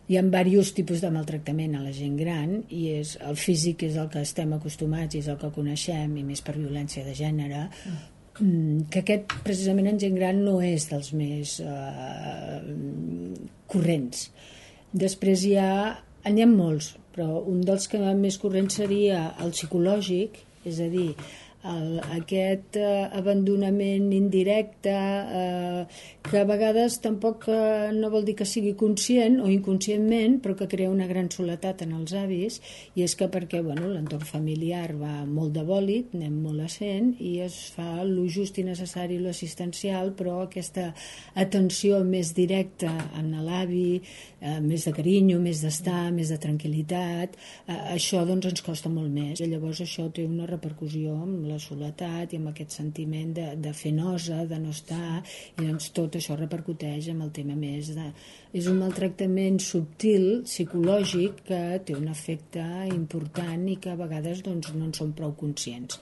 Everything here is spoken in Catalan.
Hi ha diversos tipus de maltractament a la gent gran i el físic és el que estem acostumats i és el que coneixem, i més per violència de gènere, que aquest precisament en gent gran no és dels més corrents. Després n'hi ha molts, però un dels que més corrents seria el psicològic, és a dir, aquest abandonament indirecte que a vegades tampoc no vol dir que sigui conscient o inconscientment, però que crea una gran soledat en els avis, i és que perquè l'entorn familiar va molt de bòlit, anem molt essent, i es fa lo just i necessari, lo assistencial, però aquesta atenció més directa en l'avi, més de carinyo, més d'estar, més de tranquil·litat, això doncs ens costa molt més, i llavors això té una repercussió amb la soledat i amb aquest sentiment de fer nosa, de no estar, i doncs tot això repercuteix amb el tema més de... És un maltractament subtil, psicològic, que té un efecte important i que a vegades doncs, no en som prou conscients.